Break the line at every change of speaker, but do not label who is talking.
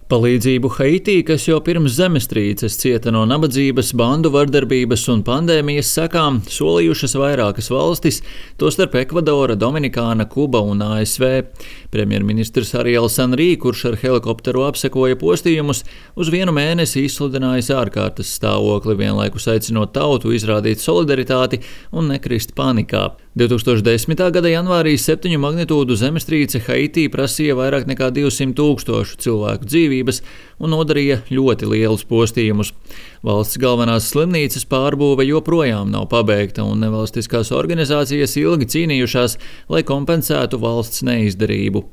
Palīdzību Haitī, kas jau pirms zemestrīces cieta no nabadzības, bandu vardarbības un pandēmijas sekām, solījušas vairākas valstis, tostarp Ekvadora, Dominikāna, Kuba un ASV. Premjerministrs Ariels Henrī, kurš ar helikopteru apsekoja postījumus, uz vienu mēnesi izsludinājis ārkārtas stāvokli, vienlaikus aicinot tautu izrādīt solidaritāti un nekrist panikā. 2010. gada janvārī 7 magnitūdu zemestrīce Haitī prasīja vairāk nekā 200 000 cilvēku dzīvības un nodarīja ļoti lielus postījumus. Valsts galvenās slimnīcas pārbūve joprojām nav pabeigta, un nevalstiskās organizācijas ilgi cīnījušās, lai kompensētu valsts neizdarību.